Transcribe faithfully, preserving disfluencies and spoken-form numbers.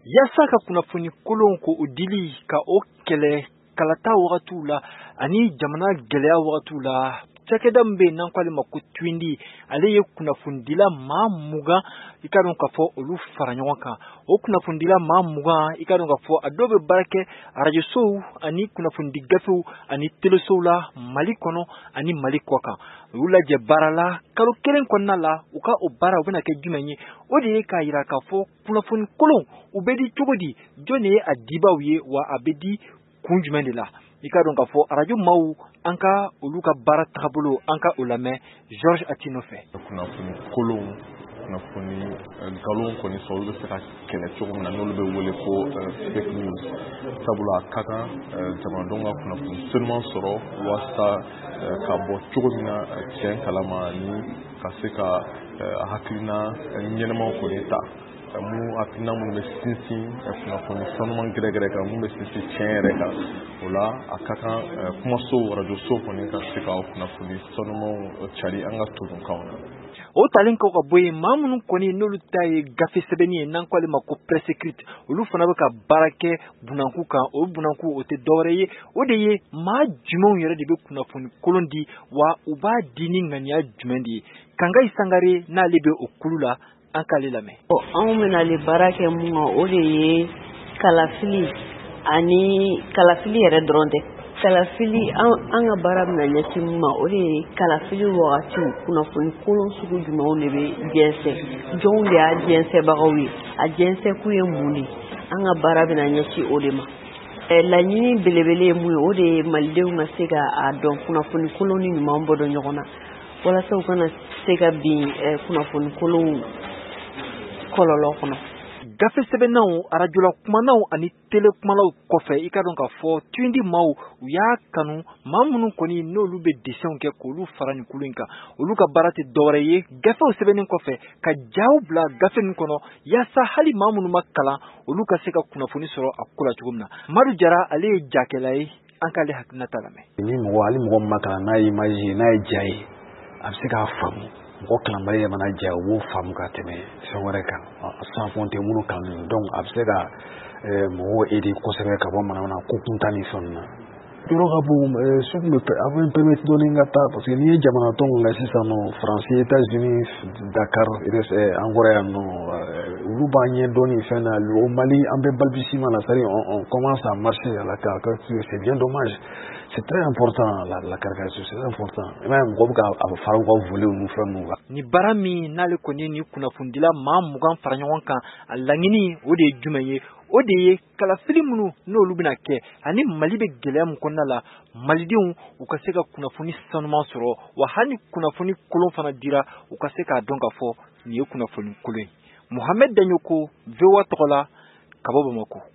Yaasa ka kunnafoni kolon ko o dili ka o kɛlɛ kalata wagatiw la ani jamana gɛlɛya wagatiw la, cakɛda min bɛ yen n'an k'ale ma ko Twindi, ale ye kunnafonidila maa mugan, i ka dɔn k'a fɔ olu fara ɲɔgɔn kan. O kunnafonidila maa mugan, i ka dɔn k'a fɔ a dɔw bɛ baara kɛ arajosow ani kunnafonidi gafew ani telesow la Mali kɔnɔ ani Mali kɔ kan. U y'u lajɛ baara la kalo kelen kɔnɔna la. U ka o baara u bɛna kɛ jumɛn ye? O de ye k'a yira k'a fɔ kunnafoni kolon u bɛ di cogo di, jɔn de ye a dibaw ye, wa a bɛ di kun jumɛn de la. I ka dɔn k'a fɔ arajo maaw, an ka olu ka baara tagabolo, an ka o lamɛn Georges Atino fɛ. Kunnafoni kolon, kunnafoni nkalon kɔni sɔrɔ, olu bɛ se ka kɛlɛ cogo min na n'olu bɛ wele ko fake news, sabula a ka kan jamanadenw ka kunnafoni senuman sɔrɔ walasa ka bɔ cogo min na tiɲɛ kalama, ni ka se ka hakilina ɲɛnamaw kɔni ta, mun hakilina minnu bɛ sinsin kunnafoni sanuman gɛrɛgɛrɛ kan, mun bɛ sinsin tiɲɛ yɛrɛ kan. O la, a ka kan kumaso, arajoso kɔni ka se ka kunnafoni sanumanw cari an ka tokunkanw na. O talen kɔ ka bɔ yen, maa minnu kɔni n'olu ta ye gafe sɛbɛnni ye n'an k'ale ma ko presse écrite, olu fana bɛ ka baara kɛ bunanku kan. O bunanku, o tɛ dɔwɛrɛ ye, o de ye maa jumɛnw yɛrɛ de bɛ kunnafoni kolon di, wa u b'a di ni ŋaniya jumɛn de ye. Kangayi Sangare n'ale bɛ o kulu la, an k'ale lamɛn. Anw bɛna baara kɛ mun kan, o de ye kalafili, ani kalafili yɛrɛ dɔrɔn tɛ. Kalafili, an ka baara bɛna ɲɛsin mun ma, o de ye kalafili wagatiw kunnafoni kolon sugu jumɛnw de bɛ jɛnsɛn, jɔnw de y'a jɛnsɛnbagaw ye, a jɛnsɛnkun ye mun de ye. An ka baara bɛna ɲɛsin o de ma. Laɲini belebele ye mun ye, o de ye malidenw ka se ka a dɔn kunnafoni kolon ni ɲuman bɔ dɔn ɲɔgɔn na, walasa u kana se ka bin kunnafoni kolonw kɔlɔlɔ kɔnɔ. Gafe sɛbɛnnaw, arajola kumanaw ani tele kumalaw kɔfɛ, i ka dɔn k'a fɔ Twindi maaw u y'a kanu maa minnu kɔni n'olu bɛ dessinw kɛ k'olu fara nin kulu in kan. Olu ka baara tɛ dɔwɛrɛ ye gafew sɛbɛnnen kɔfɛ ka jaw bila gafe ninnu kɔnɔ, yaasa hali maa minnu ma kalan, olu ka se ka kunnafoni sɔrɔ a ko la cogo min na. Madu Jara, ale ye jakɛla ye, an k'ale hakilinata lamɛn. Ni mɔgɔ, hali mɔgɔ min ma kalan, n'a ye image ye, n'a ye ja ye, a bɛ se k'a faamu. Mɔgɔ kalanbali yɛrɛ mana ja, u b'o faamu ka tɛmɛ fɛn wɛrɛ kan, sans compter minnu kalannen. Donc a bɛ se ka mɔgɔw aider kosɛbɛ ka bɔ manamana ko kuntan ni fɛn ninnu na. Yɔrɔ ka bon, so kun bɛ a bɛ n permettre dɔɔni ka taa, parce que n'i ye jamana tɔnw lajɛ sisan nɔ, Faransi, États-Unis, Dakar, an kɔrɔ yan nɔ, olu b'an ɲɛ dɔɔni fɛn na. Au Mali, an bɛ balbutiement la, c'est-à-dire on, on commence à marcher à la caricature. C'est bien dommage. C'est très important, la, la caricature, c'est important. I m'a ye, mɔgɔ bɛ ka a fara u ka volet ninnu, fɛn ninnu kan. Ni baara min n'ale kɔni ni kunnafonidila maa mugan fara ɲɔgɔn kan, a laɲini o de ye jumɛn ye? O de ye kalafili minnu n'olu bɛna kɛ ani Mali bɛ gɛlɛya min kɔnɔna la, malidenw u ka se ka kunnafoni sanuman sɔrɔ, wa hali kunnafoni kolon fana dira, u ka se k'a dɔn k'a fɔ nin ye kunnafoni kolon ye. Mohamed Daɲoko, V O A tɔgɔ la, ka bɔ Bamakɔ.